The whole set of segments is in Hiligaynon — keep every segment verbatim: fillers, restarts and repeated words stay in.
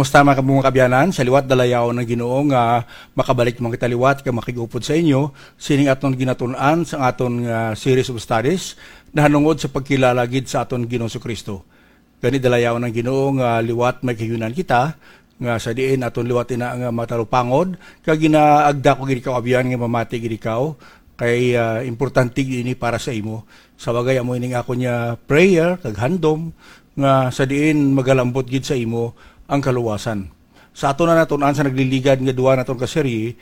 Kumusta, mga kabunga, kaabyanan? Sa liwat, dalayawon ang Ginoo nga makabalik man kita liwat kag makig-upod sa inyo sining aton ginatun-an sa aton nga series of studies nahanungod sa pagkilala gid sa aton Ginoong Kristo. Gani, dalayawon ang Ginoo nga liwat may kahiunan kita, nga sa diin aton liwat ina nga matalupangod, kag ginaagda ko gid ikaw, abyan, nga mamati gid ikaw, kay, ah, importante gid ini para sa imo. Sa bagay, amo ining ako niya prayer kag handom, nga sa diin magalambot gid sa imo ang kaluwasan. Sa aton na natun-an sa nagliligad nga duwa naton ka serye,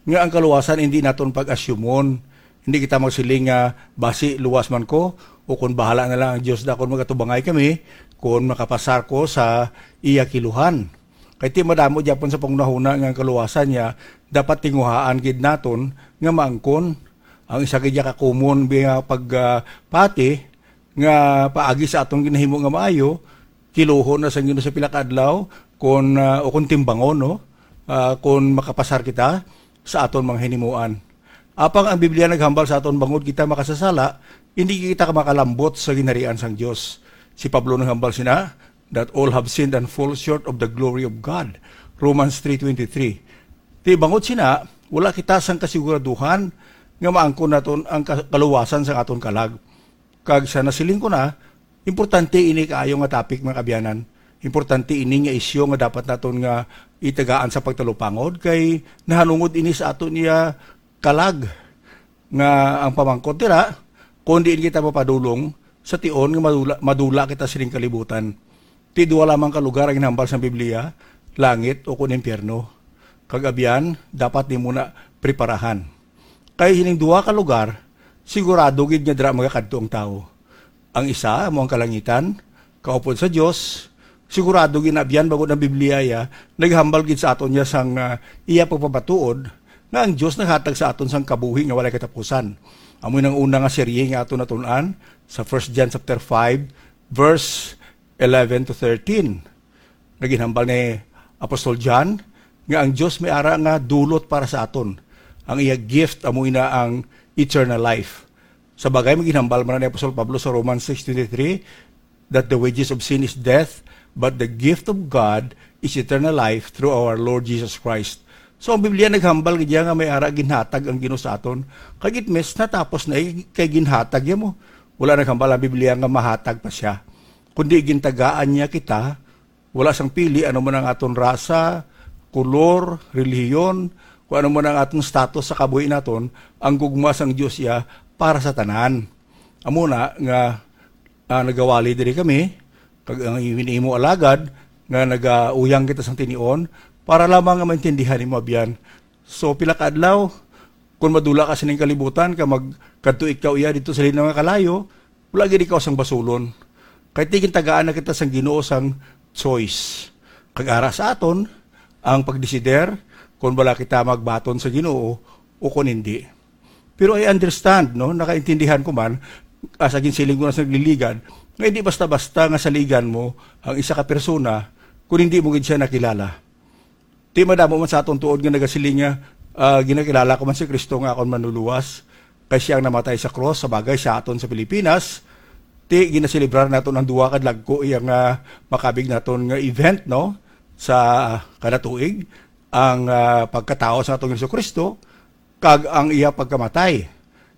nga ang kaluwasan hindi naton pag-asyumon. Hindi kita magsiling nga, "Basi luwas man ko," o kung, "Bahala na lang ang Dios da kon magatubangay kami, kung makapasar ko sa iya kiluhan." Kay ti madamo gyapon sa panghunahuna nga ang kaluwasan niya dapat tinguhaan gid naton nga maangkon. Ang isa gid ya ka common nga pag, ah, pati nga paagi sa aton ginahimo nga maayo, kiluhon na sang Ginoo sa pila ka adlaw, kon, ah, o kon timbangon, no? Ah, kon makapasar kita sa aton mga hinimuan. Apang ang Biblia naghambal sa aton, bangod kita makasasala, hindi kita makalambot sa ginharian sang Dios. Si Pablo naghambal sina, "That all have sinned and fall short of the glory of God." Romans three twenty-three. Ti bangod sina, wala kita sang kasiguraduhan nga maangkon naton ang ka-, kaluwasan sang aton kalag. Kag sa nasiling ko na, importante ini kaayo nga topic, mga kaabyanan. Importante ini nga isyu nga dapat naton nga itagaan sa pagtalupangod, kay nahanungod ini sa aton iya kalag, nga ang pamangkot dira, kung diin kita mapadulong sa tion nga madula, madula kita sining kalibutan. Ti duha lamang ka lugar ang ginhambal sang Biblia, langit o kon impyerno. Kag abyan, dapat nimo na preparahan. Kay sining duha ka lugar, sigurado gid nga dira magakadto ang tawo. Ang isa amo ang kalangitan, kaupod sa Dios. Sigurado gid na abyan, bangod ang Biblia iya naghambal gid sa aton niya sang, ah, iya pagpamatuod nga ang Dios naghatag sa aton sang kabuhi nga walay katapusan. Amo nang una nga serye nga aton natun-an sa First John chapter five, verse eleven to thirteen. Naginhambal ni Apostol John nga ang Dios may ara nga dulot para sa aton, ang iya gift amo ina ang eternal life. Sa bagay, maginhambal man ni Apostol Pablo sa Romans six twenty-three, that the wages of sin is death, but the gift of God is eternal life through our Lord Jesus Christ. So, ang Biblia naghambal gid iya nga may ara ginhatag ang Ginoo sa aton. Kag it means natapos na, eh, kay ginhatag iya mo. Wala naghambal ang Biblia nga mahatag pa siya, kundi gintagaan niya kita. Wala sang pili ano man ang aton rasa, kulor, relihiyon, kung ano man ang aton status sa kabuhi naton, ang gugma sang Dios iya para sa tanan. Amo na nga, ah, nagawali diri kami, kag ang imo alagad nga nagauyang kita sang tinion, para lamang nga maintindihan nimo, abyan. So, pila ka adlaw, kung madula ka sining kalibutan, ka magkadto ikaw iya dito sa linaw nga kalayo, wala gid ikaw sang basulon. Kay ti gintagaan na kita sang Ginoo sang choice. Kag ara sa aton ang pagdesider kon bala kita magbaton sa Ginoo o kon hindi. Pero I understand, no, nakaintindihan ko man, as again, siling ko na sa nagliligad, nga hindi basta-basta nga saligan mo ang isa ka persona kung hindi mo gid siya nakilala. Ti madamo man sa aton tuod nga nagasiling nga, ah, ginakilala ko man si Kristo nga akon manluluwas, kay siya ang namatay sa krus. Sa bagay, sa aton sa Pilipinas, ti ginaselebrar naton ang duha ka dagko iya nga makabig naton nga event, no, sa kada tuig, ang, ah, pagkatawo sa aton Jesu-Cristo kag ang iya pagkamatay.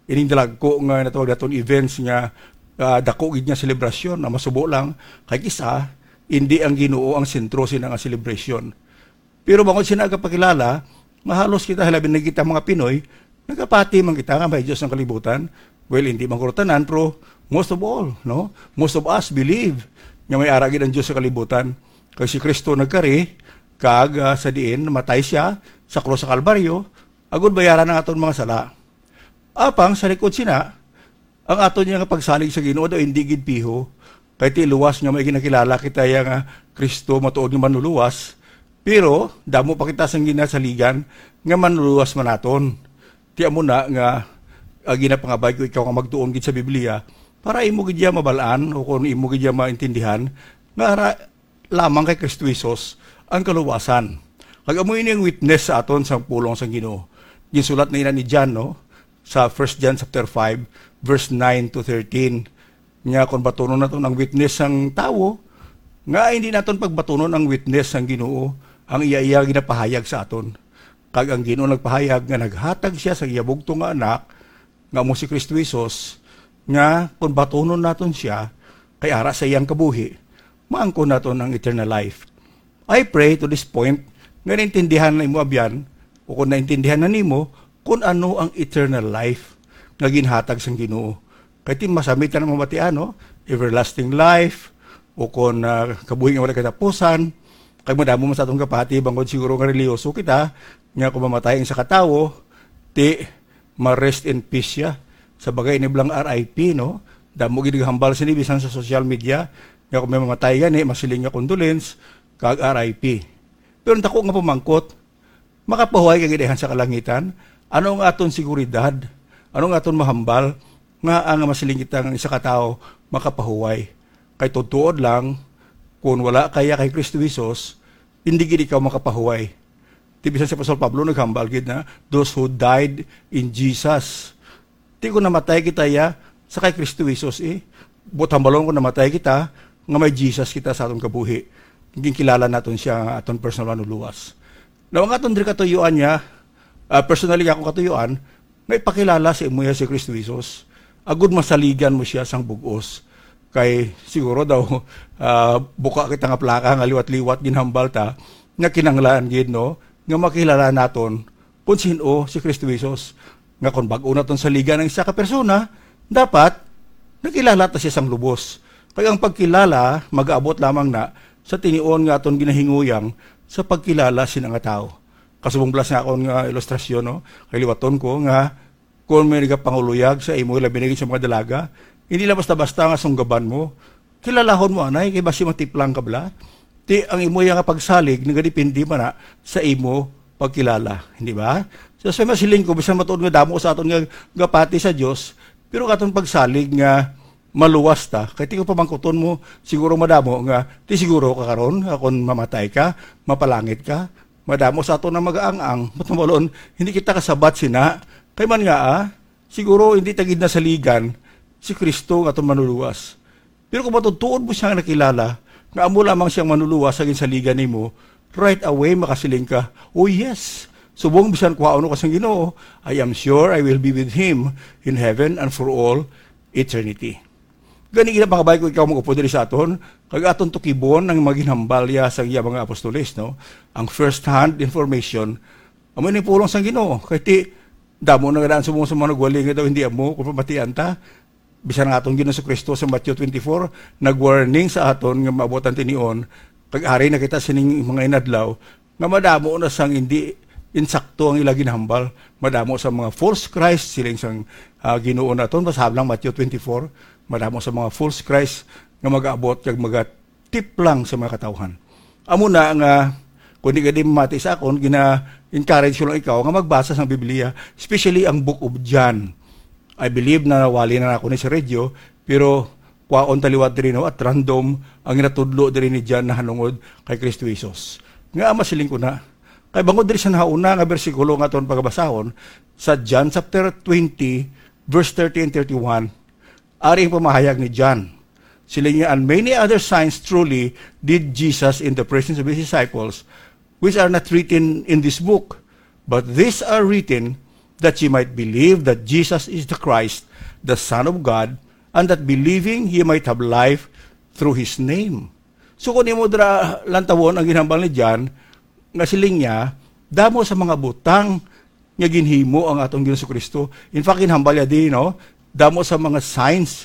Ining dalagko nga natawag naton events nga, ah, dako gid nga selebrasyon, ang masubo lang, kay kis-a, hindi ang Ginoo ang sentro sina nga selebrasyon. Pero bangod sina nagapakilala, nga halos kita, hilabi na kita mga Pinoy, nagapati man kita nga may Dios ang kalibutan. Well, hindi man guro tanan, pero most of all, no? Most of us believe nga may ara gid ang Dios sa kalibutan. Kay si Kristo nagkari, kag, ah, sa diin, namatay siya sa krus sa Kalbaryo, agud bayaran ang aton mga sala. Apang sa likod sina, ang aton niya nga pagsalig sa Ginoo daw hindi gid piho, kay ti luwas nga may ginakilala kita iya nga Kristo matuod nga manluluwas, pero damo pa kita sang ginasaligan nga manluluwas man naton. Ti amo na nga, ah, ginapangabay ko ikaw nga magtuon gid sa Biblia para imo gid iya mabal-an o kung imo gid iya maintindihan nga ara lamang kay Kristo Jesus ang kaluwasan. Kag amo ini ang witness sa aton sang pulong sang Ginoo. Ginsulat na ina ni John, no, sa First John chapter five, verse nine to thirteen. Nga kung batunon naton ang witness sang tawo, Nga hindi naton pagbatunon ang witness sang Ginoo, ang iya, iya ginapahayag sa aton. Kag ang Ginoo nagpahayag nga naghatag siya sa iya bugtong nga Anak, nga amo si Kristo Jesus, nga kung batunon naton siya, kay ara sa iyang kabuhi, maangkon naton ang eternal life. I pray to this point nga naintindihan na imo abyan, o kung naintindihan na nimo, kung ano ang eternal life nga ginhatag sang Ginoo. Kay ti masamit na mabatian, no? Everlasting life, o kung, ah, kabuhi nga wala katapusan. Kay madamo man sa atong kapati, bangod siguro nga reliyoso kita, nga kung mamatay ang isa ka tawo, ti ma-rest in peace siya. Sa bagay, ini bala ang R I P, no? Damo gid naghambal sini bisan sa social media, nga kung may mamatay gani, masiling nga condolence, kag R I P. Pero ang dako nga pamangkot, makapahuway ka gid sa kalangitan? Ano ang aton seguridad? Ano ang aton mahambal nga ang masiling kita nga isa ka tawo makapahuway? Kay tuod-tuod lang, kung wala kaya kay Kristo Jesus, hindi gid ikaw makapahuway. Ti bisan si Apostol Pablo naghambal gid na, "Those who died in Jesus." Ti kung namatay kita ya, sa kay Kristo Jesus, eh. Buot hambalon kung namatay kita, nga may Jesus kita sa aton kabuhi. Ginkilala naton siya nga aton personal manluluwas. Now, ang aton diri katuyuan niya, ah, personally nga akong katuyuan, nga ipakilala sa imo ya si Kristo Jesus. Agud masaligan mo siya sang bug-os. Kay siguro daw, ah, buka kita nga plaka nga liwat-liwat ginhambal ta, nga kinahanglan gid, no, nga makilala naton kung sin-o si Kristo Jesus. Nga kung bag-o naton saligan ang isa ka persona, dapat nakilala ta siya sang lubos. Kay ang pagkilala magaabot lamang na sa tinion nga aton ginahinguyang sa pagkilala sina nga tawo. Kasubong bala sa akon nga ilustrasyon, no? Kay liwaton ko nga kung may nagapanguluyag sa imo, labi na gid sa mga dalaga, hindi lang basta-basta nga sunggaban mo. Kilalahon mo anay, kay basi matiplang ka bala. Ti ang imo ya nga pagsalig nagadepende man na sa imo pagkilala, hindi ba? So, sa masiling ko, bisan matuod nga damo sa aton nga gapati sa Dios, pero katon pagsalig nga maluwas ta, kay ti ko pamangkuton mo, siguro madamo nga, ti siguro ka karon, nga kon mamatay ka, mapalangit ka, madamo sa aton ang mag-aang-ang, buot hambalon, hindi kita kasabat sina, kay man nga, ah, siguro hindi ta gid nasaligan si Kristo nga aton manluluwas. Pero kung matuod-tuod mo siya nga nakilala, nga amo lamang siyang manluluwas sa ginsaligan nimo, right away makasiling ka, "Oh yes, subong bisan kuhaon ko sang Ginoo, I am sure I will be with Him in heaven and for all eternity." Gani, ginapangabay ko ikaw mag-upod diri sa aton, kag aton tukibon ang mga ginhambal ya sa iya mga apostoles, no? Ang first-hand information, amo ni pulong sang Ginoo. Kay ti, damo na nga daan subong sa mga nagwali nga daw hindi amo kung pamatian ta. Bisan nga aton Ginoong Jesu-Cristo sa Matthew twenty-four, nag-warning sa aton nga maabot ang tinion, kag ari na kita sining mga inadlaw, nga madamo na sang hindi insakto ang ila ginhambal. Madamo sa mga false Christ, siling sang, ah, Ginoo naton, basahon lang Matthew twenty-four, madamo sa mga false Christ nga mag-abot kag magatiplang sa mga katawhan. Amo na nga, kung di ka di mamati sa akon, gina-encourage ko lang ikaw nga magbasa sang Biblia, especially ang Book of John. I believe na nawali na ako ni sa radio, pero kwaon ta liwat diri, no, at random ang ginatudlo diri ni John nahanungod kay Kristo Jesus. Nga masiling ko na, kay bangod diri sa nahauna nga bersikulo nga aton pagabasahon, sa John chapter twenty, verse thirty and thirty-one, ari ang pamahayag ni John. Siling niya, "And many other signs truly did Jesus in the presence of his disciples, which are not written in this book. But these are written that ye might believe that Jesus is the Christ, the Son of God, and that believing ye might have life through his name." So, kung imo dira lantawon ang ginhambal ni John, nga siling niya, damo sa mga butang nga ginhimo ang atong Ginoong Kristo. In fact, ginhambal niya di, no? Damo sa mga signs,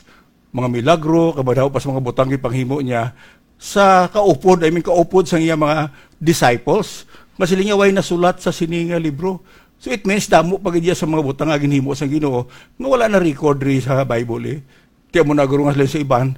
mga milagro, kag madamo pa sa mga butang gipanghimo niya sa kaupod, I mean, kaupod sa iya mga disciples. Nga siling niya, way nasulat sa sini nga libro. So, it means, damo pa gid iya sa mga butang nga ginhimo sa Ginoo nga wala na record diri sa Bible, eh. Ti amo na guro nga sila sa iban.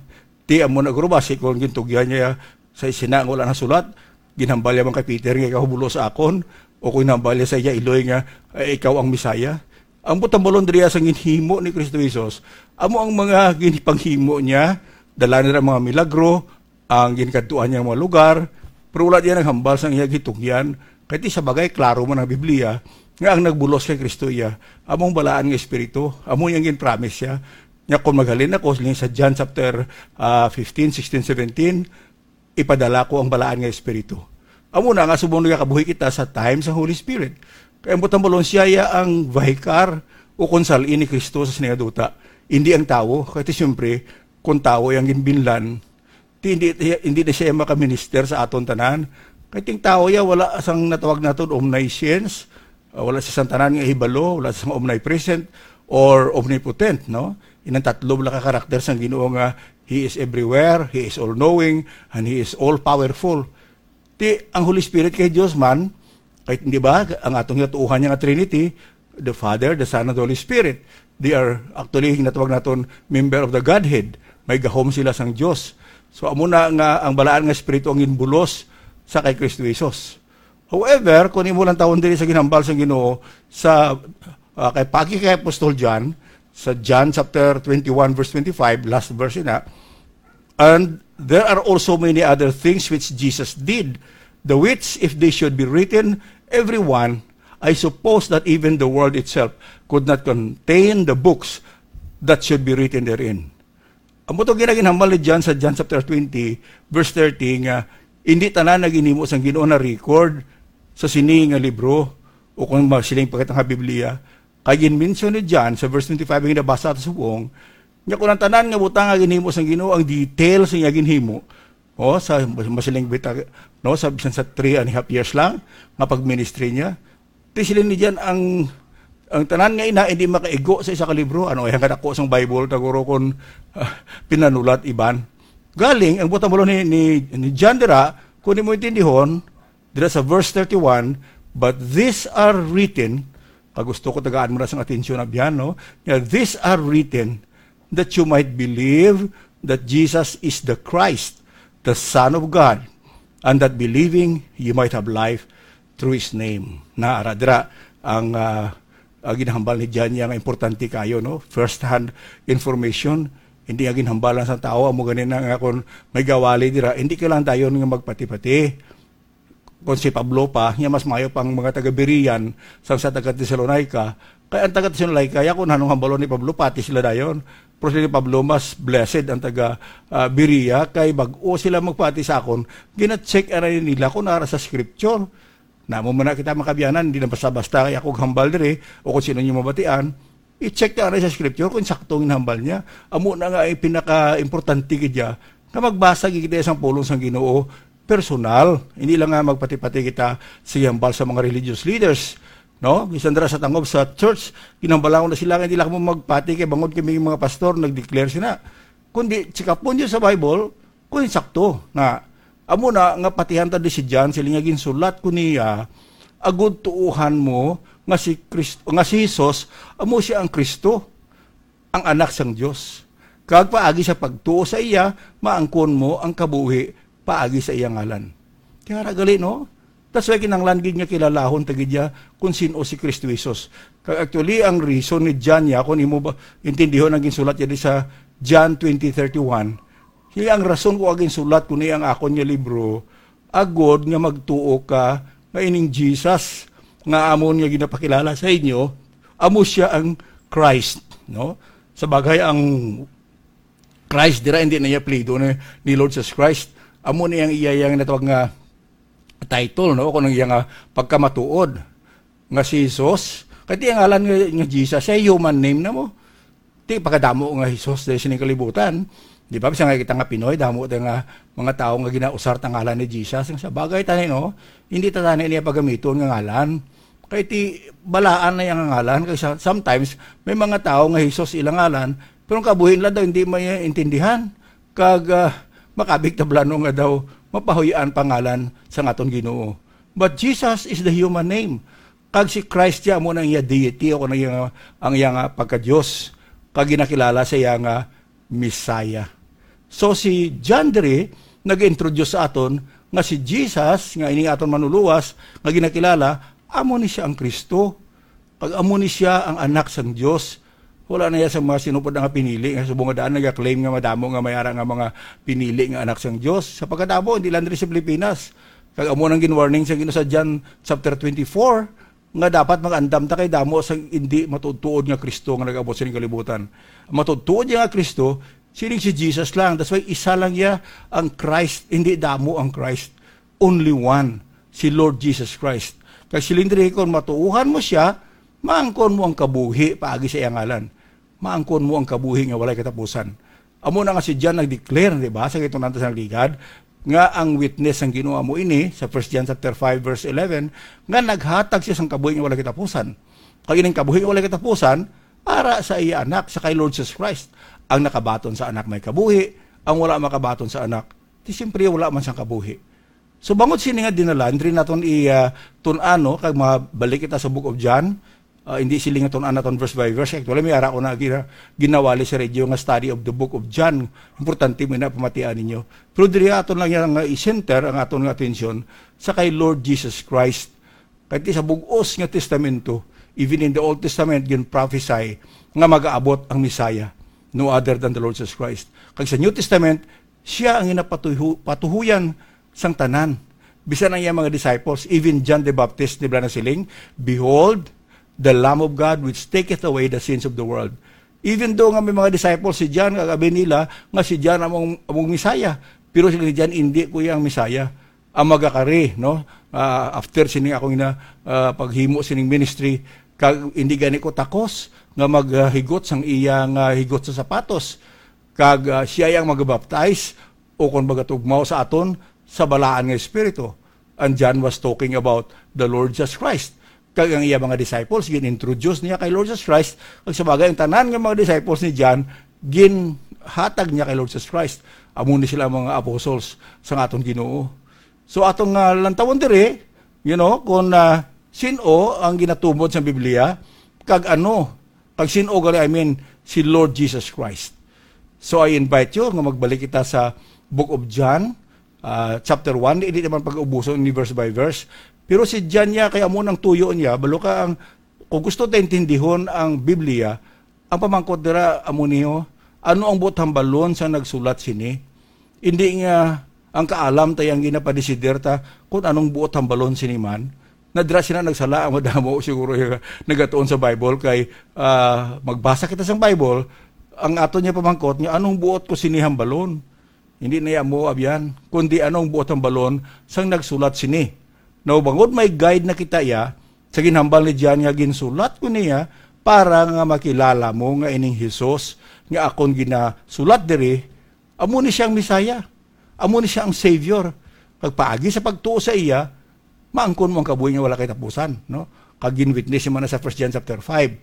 Ti amo na guro basi kung gintugyan niya sa sina nga wala nasulat, ginhambal niya man kay Peter nga ikaw bulos sa akon, o kung ginhambal niya sa iya iloy nga, "Ay, ikaw ang Messiah." Ang buot hambalon diri sa ginhimo ni Kristo Jesus, amo ang mga ginpanghimo niya, dala nila ang mga milagro, ang ginkadtuan niya nga mga lugar, pero wala diya naghambal sang iya gitugyan. Kay ti sa bagay, klaro man ang Biblia nga ang nagbulos kay Kristo iya, amo ang balaan nga Espiritu, amo yang gin-promise siya. Nya kung maghalin ako, siling sa John chapter, ah, fifteen, sixteen, seventeen, ipadala ko ang Balaan nga Espiritu. Amo na nga subong nagakabuhi kita sa time sa Holy Spirit. Kay ang butang balon siya ya ang vicar o konsalin ni Kristo sa sini nga duta. Hindi ang tawo. Kay ti siyempre, kung tawo yang ginbinlan, ti hindi, hindi na siya makaminister sa aton tanan. Kay ting tawo ya wala sang natawag naton omniscience, uh, wala siya sang tanan nga hibalo, wala siya sang omnipresent or omnipotent, no? Inang tatlo bala ka karakter sang Ginoo nga He is everywhere, He is all-knowing, and He is all-powerful. Ti, ang Holy Spirit kay Dios man, kay, di ba, ang atong ginatuohan niya nga Trinity, the Father, the Son, and the Holy Spirit, they are actually, natawag naton, member of the Godhead. May gahom sila sang Dios. So, amo na nga ang Balaan nga Espiritu ang ginbulos sa kay Kristo Jesus. However, kung imo lang tawon diri sa ginhambal sang Ginoo sa, ah, kay pagi kay Apostol John, sa John chapter twenty-one, verse twenty-five, last verse na, "And there are also many other things which Jesus did, the which, if they should be written, every one, I suppose that even the world itself could not contain the books that should be written therein." Amo to ginaginhambal ni John sa John chapter twenty, verse thirty, nga hindi tanan nga ginhimo sang Ginoo na record sa sini nga libro, o kung ma-, siling pagkatang nga Biblia. Kay ginmention ni John sa verse twenty-five nga nabasa ta subong, nga kung ang tanan nga butang nga ginhimo sang Ginoo, ang details nga ginhimo, o, sa masiling bita, no, sa bisan sa three and a half years lang nga pag-ministry niya, ti siling ni John, ang, ang tanan nga ina hindi makaigo sa isa ka libro. Ano, ay, ang kadako sang Bible, taguro kon, ah, pinanulat iban. Galing, ang butang balon ni, ni, ni John dira, kung imo intindihon, dira sa verse thirty-one, "But these are written," kag gusto ko tagaan mo na sang atensyon, abyan, no? Nga, "These are written that you might believe that Jesus is the Christ, the Son of God, and that believing you might have life through His name." Na, ara, dira, ang, ah, ang ginahambal ni John niya nga importante kayo, no? First-hand information, hindi nga ginhambalan sa tao, amo gani na nga kung may gawali dira, hindi kailangan dayon nga magpati-pati. Kung si Pablo pa, niya mas mayo pang mga taga-Berean sang sa taga-Tesalonica. Kay ang taga-Tesalonica, ya kung anong hambalon ni Pablo, pati sila dayon. Pero si Pablo, mas blessed ang taga, ah, Berea, kay bag-o sila magpati sa akon, gina-check anay nila kung ara sa scripture. Namo man na kita makabiyanan, hindi na basta-basta kay ako hambal diri, o kung sino niyo mabatian, i-check ta anay sa scripture kung sakto ang hambal niya. Amo na nga ay pinaka-importante gid ya, nga magbasa gid kita sang pulong sang Ginoo personal. Hindi lang nga magpati-pati kita sa hambal sa mga religious leaders, no? Bisan dira sa tangob sa church, ginhambalan ko na sila nga hindi lang mo magpati kay bangod kami mga pastor nag-declare sina. Kundi check up mo sa Bible, kung sakto na amo na nga patihan ta di si John, siling nga ginsulat ko niya, agud tuohan mo nga si Kristo, nga si Jesus amo siya ang Kristo, ang Anak sang Dios. Kag paagi sa pagtuo sa iya, maangkon mo ang kabuhi paagi sa iya ngalan. Kaya ra gali, no? That's why kinahanglan gid nga kilalahon ta gid ya kung sin-o si Kristo Jesus. Kag actually, ang reason ni John ya, kung imo ba intindihon ang ginsulat niya di sa John twenty thirty-one, siya ang rason ko ginsulat ko ni ang akon nga libro, agod nga magtuo ka nga ining Jesus nga amon nga ginapakilala sa inyo, amo siya ang Christ, no? Sa bagay, ang Christ dira, hindi na iya apelyido ni, ni Lord Jesus Christ. Amo ni ang iya, iya nga natawag nga title, no? Kung ang iya nga pagkamatuod nga si Jesus. Kay ti ang ngalan nga, nga Jesus, siya human name na mo. Ti pagkadamo nga Jesus diri sining kalibutan. Di ba? Bisan nga kita nga Pinoy, damo ta nga mga tawo nga ginausar ta ngalan ni Jesus. Ang sa bagay tani, no? Hindi ta tani niya pagamiton nga ngalan. Kay ti balaan na yang ngalan. Kay sa-, sometimes, may mga tawo nga Jesus ilang ngalan, pero ang kabuhi nila daw hindi maintindihan. Kag, ah, makabig tablano nga daw mapahuy-an pangalan sa aton Ginoo. But Jesus is the human name. Kag si Christ siya amo na ang iya deity o ang iya, ang iya nga pagka-Dios. Kag ginakilala sa iya nga Messiah. So si John diri nag-introduce sa aton nga si Jesus nga ini aton manuluwas nga ginakilala, amo ni siya ang Kristo. Kag amo ni siya ang Anak sang Dios. Wala na iya sa mga sinupod nga pinili nga subong nga daan nagaklaim nga madamo nga may ara nga mga pinili nga anak sang Dios. Sa pagkadamo, hindi lang diri sa Pilipinas. Kag amo nang ginwarning sa Ginoo sa John chapter twenty-four, nga dapat mag-andam ta kay damo sang hindi matuod-tuod nga Kristo nga nag-abot sa kalibutan. Ang matuod-tuod nga Kristo, Siling si Jesus lang. That's why isa lang iya ang Christ, hindi damo ang Christ. Only one, si Lord Jesus Christ. Kag siling diri, kung matuohan mo siya, maangkon mo ang kabuhi paagi sa iya ngalan. Maangkon mo ang kabuhi nga walay katapusan. Amo na nga si John nag-declare, di ba, sa gitong nanta sa nagligad, nga ang witness sang Ginoo amo ini, sa First John chapter five, verse eleven, nga naghatag siya sang kabuhi nga walay katapusan. Kag ining kabuhi nga walay katapusan, ara sa iya Anak, sa kay Lord Jesus Christ. Ang nakabaton sa Anak may kabuhi, ang wala makabaton sa Anak, di siyempre wala man sang kabuhi. So, bangod sini nga dinala, diri naton i, ah, tun-an, no? Kag mabalik kita sa Book of John, ah, hindi sila nga tun-an naton verse by verse. Actually, may ara ko na gina-, ginawali sa radio nga study of the Book of John. Importante mo na pamatian ninyo. Pero diri aton lang yan nga i-center ang aton nga atensyon sa kay Lord Jesus Christ. Kay ti sa bug-os nga testamento, even in the Old Testament, gin-prophesy nga magaabot ang Messiah, no other than the Lord Jesus Christ. Kag sa New Testament, siya ang ginapatuhu-, patuhuyan sang tanan. Bisan ang iyang mga disciples, even John the Baptist, di ba nasiling, "Behold, the Lamb of God which taketh away the sins of the world." Even though nga may mga disciples si John, kag abi nila nga si John among, among Messiah, pero sila ni John, "Hindi ko iya ang Messiah." Ang magakari, no? Ah, after sining akong ina, ah, paghimo sining ministry, kag hindi gani ko takos nga maghigot sang iya nga higot sa sapatos. Kag, ah, siya ang magabaptize, o kon magatugmaw sa aton, sa Balaan nga Espiritu. And John was talking about the Lord Jesus Christ. Kag ang iya mga disciples, gin-introduce niya kay Lord Jesus Christ. Kag sa bagay, ang tanan nga mga disciples ni John, ginhatag niya kay Lord Jesus Christ. Amo ni sila ang mga apostles sang aton Ginoo. So, aton nga lantawon diri, you know, kung, ah, sin-o ang ginatumod sa Biblia, kag ano, kag sin-o gali, I mean, si Lord Jesus Christ. So, I invite you nga magbalik kita sa Book of John, ah, chapter one. Hindi naman pag-ubuson ni verse by verse. Pero si John niya, kaya mo nang tuyo niya, balo ka ang, kung gusto ta intindihon ang Biblia, ang pamangkot dira amo niyo, ano ang buot hambalon sa nagsulat sini? Hindi nga ang kaalam ta ang ginapadesider ta kung anong buot hambalon sini man. Nadira sila nagsala ang madamo siguro yung nagatuon sa Bible kay, ah, magbasa kita sang Bible, ang aton niya pamangkot nga anong buot ko sini hambalon. Hindi na iya mo abyan, kundi anong buot hambalon sang nagsulat sini. Now, bangod may guide na kita iya, sa ginhambal ni John nga ginsulat ko niya para nga makilala mo nga ining Jesus nga akon ginasulat diri, amo ni siya ang Messiah. Amo ni siya ang Savior. Kag paagi sa pagtuo sa iya, maangkon mo ang kabuhi nga wala kay tapusan, no? Kag gin-witness man na sa First John chapter five.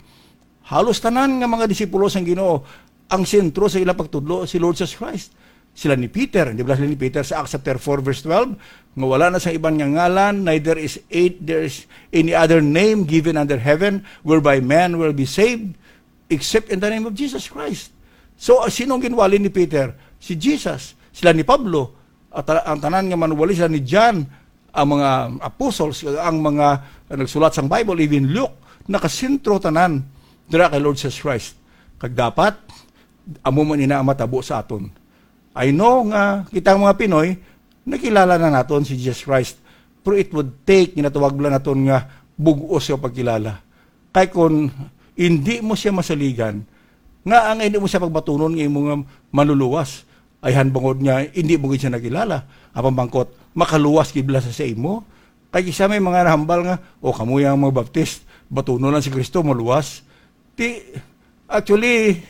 Halos tanan nga mga disipulo sang Ginoo, ang sentro sa ilang pagtudlo si Lord Jesus Christ. Sila ni Peter, di ba sila ni Peter sa Acts chapter four verse twelve, nga wala na sa iban nga ngalan, neither is eight, there is any other name given under heaven whereby man will be saved except in the name of Jesus Christ. So, ah, sino ang ginwali ni Peter? Si Jesus. Sila ni Pablo, at ta-, ang tanan nga manuwali, sila ni John, ang mga apostles, ang mga nagsulat sang Bible, even Luke, nakasentro tanan dira kay Lord Jesus Christ. Kag dapat, amo man ina ang matabo sa aton. I know nga kita, mga Pinoy, nakilala na naton si Jesus Christ, pero it would take, ginatawag lang naton nga bug-os nga pagkilala. Kay kun hindi mo siya masaligan, nga ang hindi mo siya pagbatunon nga imo nga manluluwas, ay han bangod nga hindi mo gid siya nakilala. Ang pamangkot, makaluwas gid bala sa, sa imo? Kay kisa may mga nahambal nga, "O, kamo yang mga Baptist, batunon lang si Kristo, maluwas." Ti, actually,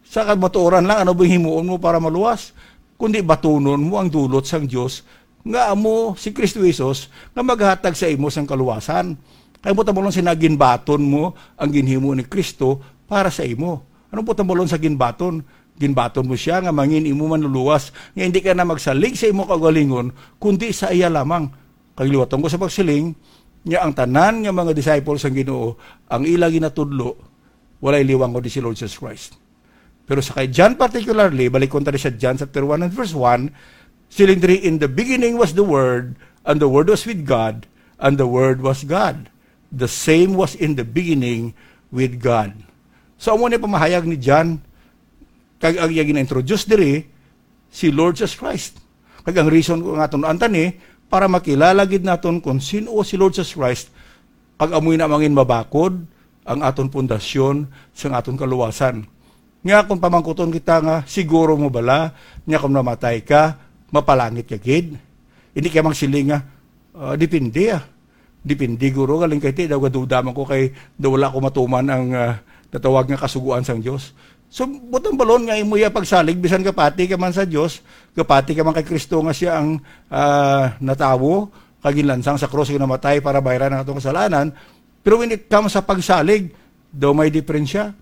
sa kamatuoran lang, ano ba himuon mo para maluwas? Kundi batunon mo ang dulot sang Dios nga amo si Kristo Jesus nga maghatag sa imo sang kaluwasan. Kay mo tamulong sina ginbaton mo ang ginhimo ni Kristo para sa imo. Ano po tamulong sa ginbaton? Ginbaton mo siya nga mangin imo manluluwas, nga hindi ka na magsalig sa imo kaugalingon, kundi sa iya lamang. Kag liwaton ko sa pagsiling, nga ang tanan nga mga disciples sang Ginoo, ang ila ginatudlo, walay liwang kundi si Lord Jesus Christ. Pero sa kay John particularly, balikon ta sa John chapter one and verse one, siling diri, "In the beginning was the Word, and the Word was with God, and the Word was God. The same was in the beginning with God." So, amo ni pamahayag ni John, kag ang iya gina-introduce diri, si Lord Jesus Christ. Kag ang reason ko nga tun-an ta ni, para makilala gid naton kung sin-o si Lord Jesus Christ, kag amoy na mangin mabakod ang aton pundasyon sang aton kaluwasan. Nga kung pamangkuton kita nga, "Siguro mo bala nga kung mamatay ka, mapalangit ka gid?" Hindi ka magsiling nga, "Ah, depende, ah. Depende, guro, galing kay ti daw gaduda man ko kay daw wala ko matuman ang, ah, natawag nga kasugoan sang Dios." So, butang balon nga imo iya pagsalig, bisan gapati ka man sa Dios, gapati ka man kay Kristo nga siya ang, ah, natawo, kag ginlansang sa krus, kag namatay para bayran ang atong kasalanan. Pero when it comes sa pagsalig, daw may diferensya.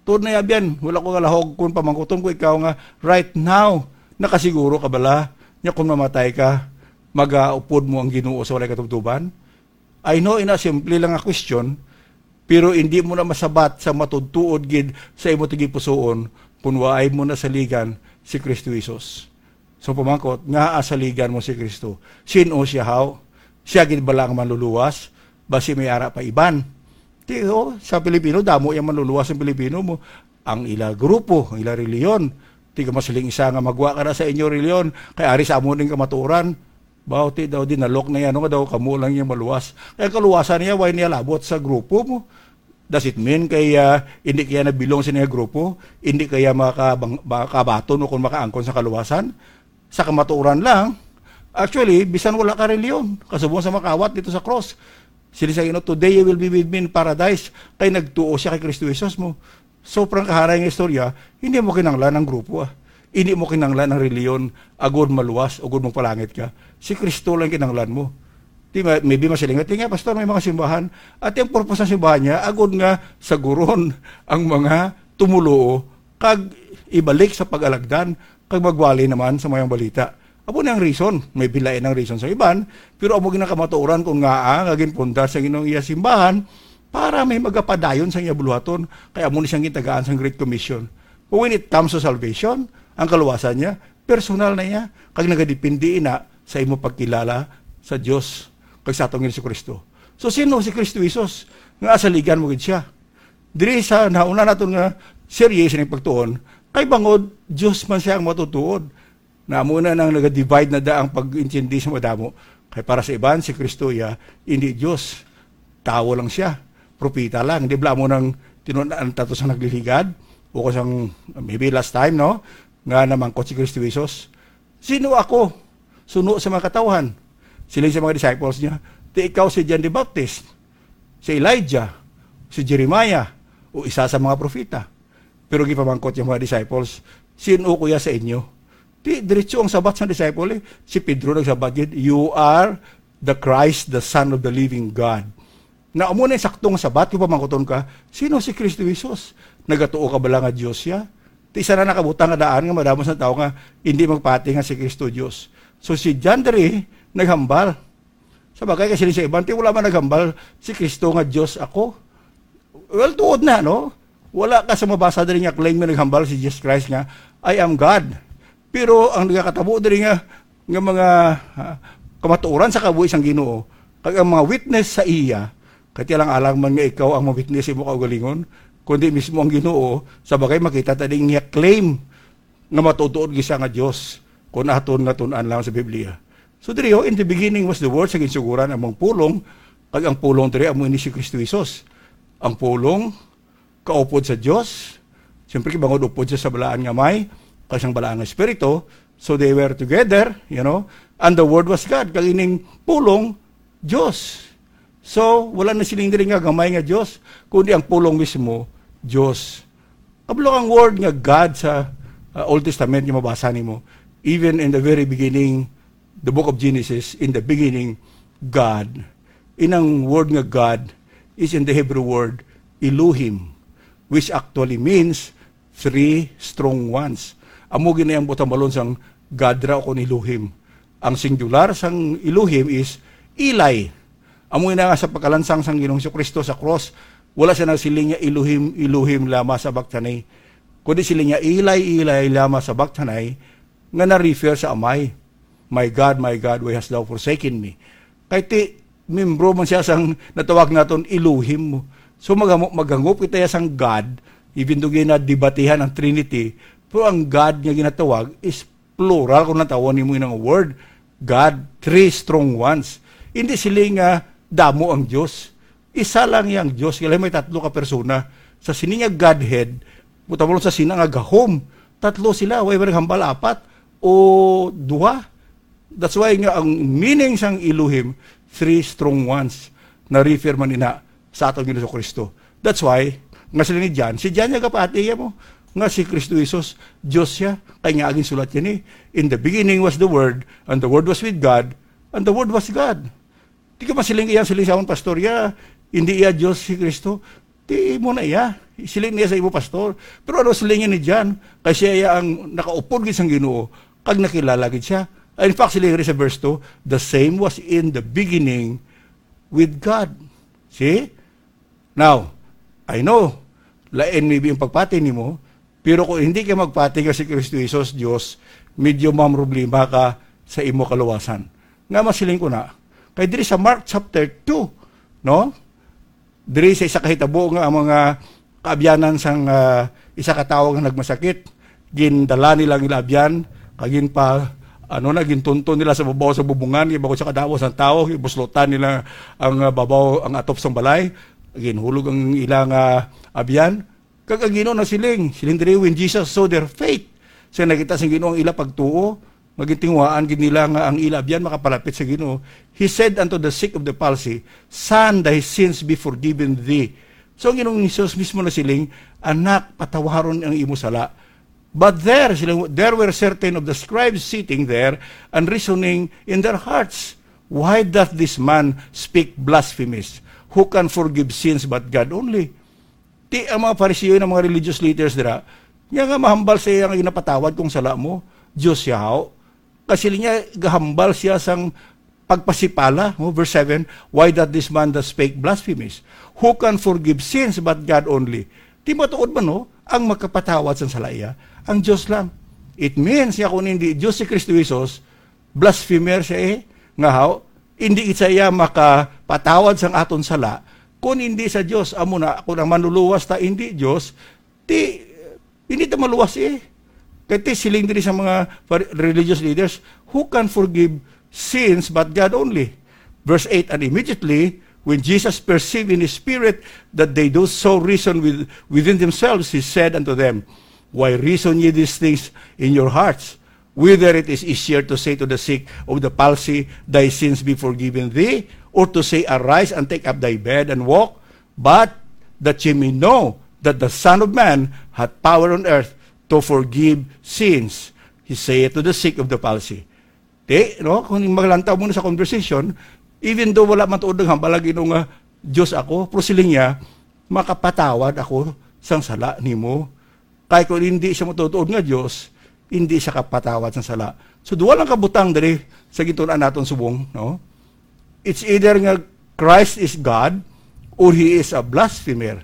Tuod na, Abyan, wala ko kalahog kung pamangkuton ko ikaw nga, right now, nakasiguro ka bala nga kung mamatay ka, magaupod mo ang Ginoo sa walay katubtoban? I know, ina, simple lang nga question, pero hindi mo na masabat sa matudtuod gid sa imo tagipusoon kung waay mo nasaligan si Kristo Jesus. So, pamangkot, ngaa saligan mo si Kristo? Sin-o siya, haw? Siya gid bala ang manluluwas? Basi may ara pa iban? Ti, oh, sa Pilipino, damo yang manluluwas ang Pilipino mo. Ang ila grupo, ang ila reliyon. Ti ka masiling isa nga magwa ka na sa inyo reliyon, kay ari sa amo ning kamatuoran. Baw, ti daw dinalok na yan, nga daw kamo lang yung maluwas. Kaya kaluwasan niya, why niya labot sa grupo mo? Does it mean kay, ah, hindi kaya na-belong sa niya grupo? Hindi kaya makabang-, makabaton o kung makaangkon sa kaluwasan? Sa kamatuoran lang, actually, bisan wala ka reliyon, kasubong sa makawat dito sa cross. Sila sa Ginoo, "Today you will be with me in paradise." Kay nagtuo siya kay Kristo Jesus mo. Sobrang kaharay nga istorya, hindi mo kinanglan ang grupo, ah. Hindi mo kinanglan ang reliyon, agod maluwas, agod magpalangit ka. Si Kristo lang kinanglan mo. Di ba, maybe masilingat, "Di nga, pastor, may mga simbahan." At yung purpose ng simbahan niya, agod nga saguron ang mga tumuluo, kag ibalik sa pag-alagdan, kag magwali naman sa mayong balita. Amo ni ang reason, may bilain ang reason sa iban, pero amo ginakamatuoran kung ngaa nga ginpundar sa Ginoong iya simbahan para may magapadayon sa iya buluhaton, kay amo ni siyang gitagaan sang Great Commission. But when it comes to salvation, ang kaluwasan niya, personal na niya, kag nagadepende ina sa imo pagkilala sa Dios kag sa atong Jesu-Cristo. So, sino si Kristo Jesus nga asaligan mo gid siya? Diri sa nauna naton nga serye sa pagtuon, kay bangod Dios man siya ang matutuod. Na amo na nang naga-divide na da ang pag-intindi sa madamo. Kay para sa iban, si Kristo iya, hindi Dios. Tawo lang siya. Propeta lang. Di bala mo nang tinun-an tato sa nagliligad? O kung sang, maybe last time, no? Nga namangkot si Kristo Jesus, "Sino ako?" Suno sa mga katawhan. Siling sa mga disciples niya, "Ti ikaw si John the Baptist, si Elijah, si Jeremiah, o isa sa mga propeta." Pero gipamangkot yung mga disciples, "Sino kuya sa inyo?" Ti, diretso ang sabat sa disciple, eh. Si Pedro nagsabat gid, "You are the Christ, the Son of the living God." Na amo na yung sakto nga sabat, kung pamangkuton ka, "Sino si Kristo Jesus? Nagatuo ka bala nga Dios siya?" Ti, isa na nakabutang nga daan nga madamo sa tao nga hindi magpati nga si Kristo Dios. So, si John diri naghambal. Sa bagay, kasi sa iban, ti, wala man naghambal si Kristo nga Dios ako. Well, tuod na, no? Wala ka sa mabasa diri nga claim nga naghambal si Jesus Christ nga, "I am God." Pero ang nagakatabo diri nga, nga mga, ah, kamatuoran sa kabuhi sang Ginoo, kag ang mga witness sa iya, kay ti alang-alang man nga ikaw ang ma-witness sa imo kaugalingon, kundi mismo ang Ginoo, sa bagay makita ta ding niya claim nga matuod-tuod gid siya nga Dios, kung aton nga tun-an lang sa Biblia. So diri, oh, "In the beginning was the Word," sa ginsuguran among pulong, kag ang pulong diri amo ini si Kristo Jesus. Ang pulong kaupod sa Dios, siyempre, kay bangod upod siya sa balaan nga may, kag sang balaan nga espiritu, so they were together, you know, and the Word was God. Kag ining pulong, Dios. So, wala na siling diri nga gamay nga Dios, kundi ang pulong mismo, Dios. Kabalo ang word nga God sa, uh, Old Testament nga mabasa nimo. Even in the very beginning, the book of Genesis, in the beginning, God. Inang word nga God is in the Hebrew word Elohim, which actually means three strong ones. Amo gid na ang butambalon sang God ra o kon Elohim. Ang singular sang Elohim is Eli. Amo na nga sa pagkalansang sang Ginoong Jesu-Cristo sa cross, wala siya nagsiling nga, "Elohim, Elohim, lama sabachthani?" Kundi siling niya, "Eli, Eli, lama sabachthani?" nga na-refer sa Amay, "My God, my God, why hast thou forsaken me?" Kay ti, membro man siya sang natawag naton Elohim. So, magamo-, maghangop kita ya sang God, even though ginadebatihan ang Trinity, pero ang God nga ginatawag is plural kung natawag nimo inang word, God, three strong ones. Hindi sila nga damo ang Dios. Isa lang yang Dios, kaya may tatlo ka persona. Sa sini nga Godhead, Buta mo lang sa Sina nga gahom. Tatlo sila, why ba naghambal apat o duha? That's why nga ang meaning sang Elohim, three strong ones, na refer man ina sa aton Ginoong Kristo. That's why, nga sila ni John, si John nga gapati mo, nga si Kristo Jesus, Dios siya, kay nga agin sulat yan eh. In the beginning was the Word, and the Word was with God, and the Word was God. Di ka masiling iya, siling sa amon pastor, ya, hindi iya Dios si Kristo. Di mo na iya. Siling niya sa imo pastor. Pero ano siling ni John? Kay siya iya ang nakaupod gid sang Ginoo, kag nakilala gid siya. In fact, siling rin sa verse two, "The same was in the beginning with God." See? Now, I know, lain maybe yung pagpati nimo, pero kung hindi ka magpati nga si Kristo Jesus, Dios, medyo mamroblema ka sa imo kaluwasan. Nga masiling ko na, kay diri sa Mark chapter two, no? Diri sa isa ka hitabo nga ang mga kaabyanan sang, ah, isa ka tawo nga nagmasakit, gindala nila ang ila abyan, kag ginpa-, ano na, gintunton nila sa babaw sa bubungan, kay bangod sa kadamo sang tawo, gibuslotan nila ang, ah, babaw, ang atop sang balay, ginhulog ang ila nga abyan, kag ang Ginoo nasiling, siling diri, "When Jesus saw their faith," sa nakita sang Ginoo ang ila pagtuo, nga gintinguhaan gid nila nga ang ila abyan makapalapit sa Ginoo, He said unto the sick of the palsy, "Son, thy sins be forgiven thee." So ang Ginoong Jesus mismo nasiling, "Anak, patawaron ang imo sala." But there, sila, there were certain of the scribes sitting there and reasoning in their hearts, "Why doth this man speak blasphemies? Who can forgive sins but God only?" Ti ang mga Fariseo, ang mga religious leaders dira, niya nga mahambal sa iya nga ginapatawad kung sala mo, Dios siya, haw. Kasi niya gahambal siya sang pagpasipala, no? Verse seven, "Why doth this man that spake blasphemies? Who can forgive sins but God only?" Ti matuod man, no? Ang makapatawad sang sala iya, ang Dios lang. It means nga kung hindi Dios si Kristo Jesus, blasphemer siya eh. Nga haw, hindi gid sa iya makapatawad sang aton sala, kung hindi sa Dios. Amo na, kung ang manluluwas ta hindi Dios, ti, hindi ta maluwas eh. Kay ti siling diri sa mga par-, religious leaders, "Who can forgive sins but God only?" Verse eight, "And immediately, when Jesus perceived in his spirit that they do so reason with, within themselves, he said unto them, Why reason ye these things in your hearts? Whether it is easier to say to the sick of the palsy, 'Thy sins be forgiven thee,' or to say, 'Arise and take up thy bed and walk'? But that ye may know that the Son of Man hath power on earth to forgive sins," he saith to the sick of the palsy. Di, no? Kung maglantaw mo na sa conversation, even though wala man tuod naghambal ang Ginoo nga, "Dios ako," pero siling niya, "Makapatawad ako sang sala nimo." Kay kung hindi siya matutuod nga Dios, hindi siya kapatawad sang sala. So, duha lang ka butang diri sa gintun-an naton subong, no? It's either nga Christ is God or he is a blasphemer.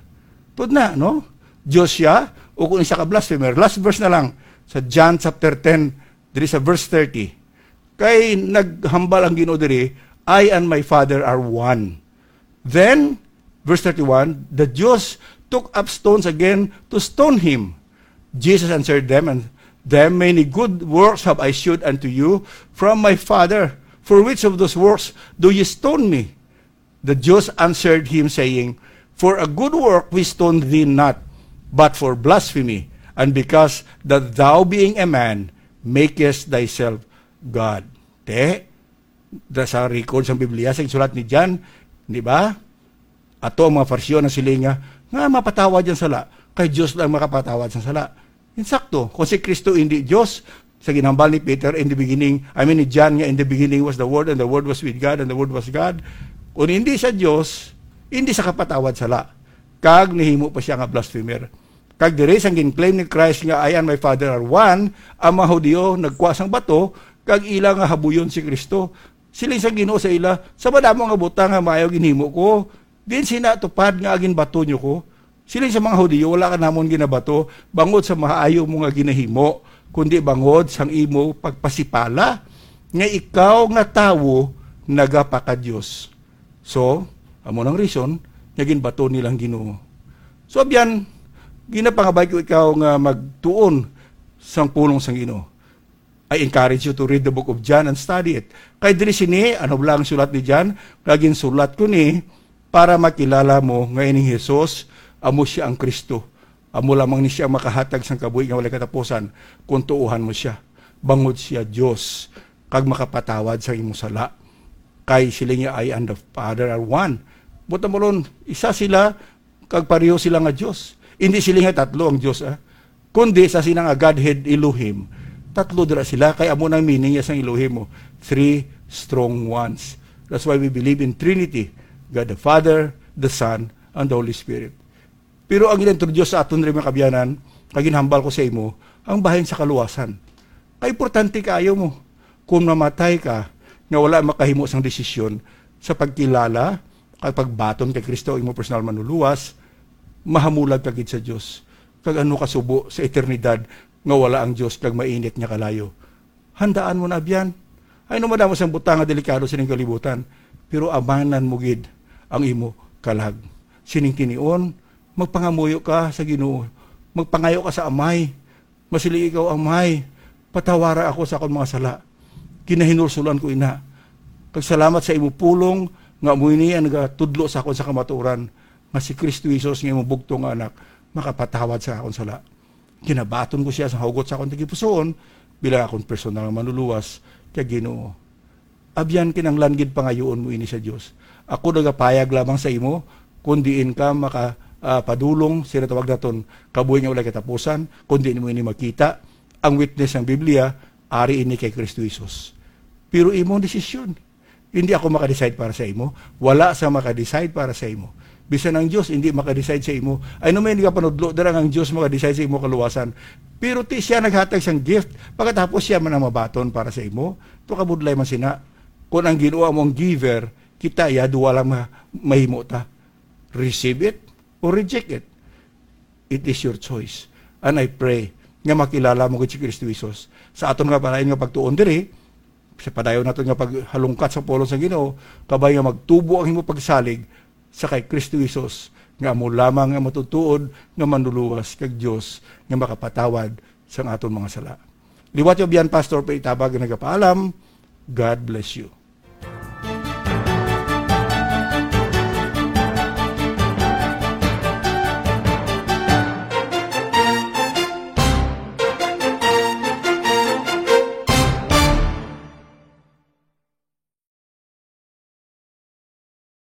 Tuod na, no? Dios siya o kung isa ka blasphemer. Last verse na lang sa John chapter ten, diri sa verse thirty. Kay naghambal ang Ginoo diri, "I and my Father are one." Then, verse thirty-one, the Jews took up stones again to stone him. Jesus answered them and them, "Many good works have I shewed unto you from my Father. For which of those works do ye stone me?" The Jews answered him, saying, "For a good work we stone thee not, but for blasphemy, and because that thou, being a man, makest thyself God." Te, da sa record sa Biblia, sa sulat ni John, di ba? Ato ang mga Fariseo na sila nga, nga mapatawad ang sala, kay Dios lang makapatawad sa sala. Insakto, kung si Kristo hindi Dios, sa ginhambal ni Peter, "In the beginning," I mean, ni John nga, "In the beginning was the Word, and the Word was with God, and the Word was God." Kung hindi sa Dios, hindi sa kapatawad sala. Kag nihimo pa siya nga blasphemer. Kag diri sang gin-claim ni Christ nga, "I and my Father are one," ang mga Hudiyo nagkuha sang bato, kag ila nga habuyon si Kristo. Siling sang Ginoo sa ila, "Sa madamo nga butang nga maayo ginhimo ko, din sina tupad nga aginbato nyo ko?" Siling sa mga Hudiyo, "Wala ka namon ginabato bangod sa maayo mo nga ginahimo, kundi bangod sang imo pagpasipala nga ikaw nga tawo nagapaka-Dios." So, amo nang reason nga ginbato nila ang Ginoo. So, abyan, ginapangabay ko ikaw nga magtuon sang pulong sang Ginoo. I encourage you to read the book of John and study it. Kay diri sini, ano lang ang sulat ni John, nga ginsulat ko ni para makilala mo nga ining Jesus, amo siya ang Kristo. Amo lamang ni siya makahatag sang kabuhi nga walay katapusan kung tuohan mo siya. Bangod siya Dios, kag makapatawad sa imo sala. Kay siling niya, "I and the Father are one." Buot silingon, isa sila, kag pareho sila nga Dios. Hindi sila nga tatlo ang Dios, ah. Kundi sa sila nga Godhead Elohim, tatlo dira sila, kay amo nang meaning niya sang Elohim, oh, three strong ones. That's why we believe in Trinity, God the Father, the Son, and the Holy Spirit. Pero ang gin-introduce sa aton rin, mga kabyanan, kag ginhambal ko sa imo, ang bahin sa kaluwasan. Kay importante kaayo mo. Kung mamatay ka nga wala makahimo sang desisyon sa pagkilala kag pagbaton kay Kristo, imo personal manluluwas, mahamulag ka gid sa Dios. Kag ano kasubo sa eternidad nga wala ang Dios kag mainit nga kalayo? Handaan mo na, abyan. Ay, no, madamo sang butang nga delikado sining kalibutan, pero amanan mo gid ang imo kalag. Sining tinion, magpangamuyo ka sa Ginoo, magpangayo ka sa Amay. Masiling ikaw, "Amay, patawara ako sa akon mga sala. Ginahinulsulan ko ina. Kag salamat sa imo pulong nga amo ini ang nagatudlo sa akon sa kamatuoran, nga si Kristo Jesus nga imong bugtong nga Anak makapatawad sa akon sala." Ginabaton ko siya sa hugot sa akon tagipusoon bilang akon personal nga manluluwas kag Ginoo. Abyan, kinahanglan gid pangayuon mo ini sa Dios. Ako nagapayag lamang sa imo kon diin ka maka, ah, padulong sa ginatawag naton kabuhi nga walay katapusan, kon diin mo ini makita. Ang witness sang Biblia, ari ini kay Kristo Jesus. Pero imong desisyon. Hindi ako maka-decide para sa imo. Wala sa maka-decide para sa imo. Bisan ang Dios hindi maka-decide sa imo. Ay, no, may nagapanudlo dira nga ang Dios maka-decide sa imo kaluwasan. Pero ti siya naghatag sang gift, pagkatapos siya man ang mabaton para sa imo. To, kabudlay man sina. Kung ang Ginoo amo ang giver, kita ya duwa lang ma-, mahimo ta. Receive it or reject it. It is your choice. And I pray nga makilala mo gid si Kristo Jesus. Sa aton nga palain nga pagtuon diri, sa padayon naton nga paghalungkat sa pulong sa Ginoo, kabay nga magtubo ang imo pagsalig sa kay Kristo Jesus, nga amo lamang nga matutuod nga manluluwas kag Dios nga makapatawad sang aton mga sala. Liwat, abyan, Pastor, pa itabag nga nagapaalam. God bless you.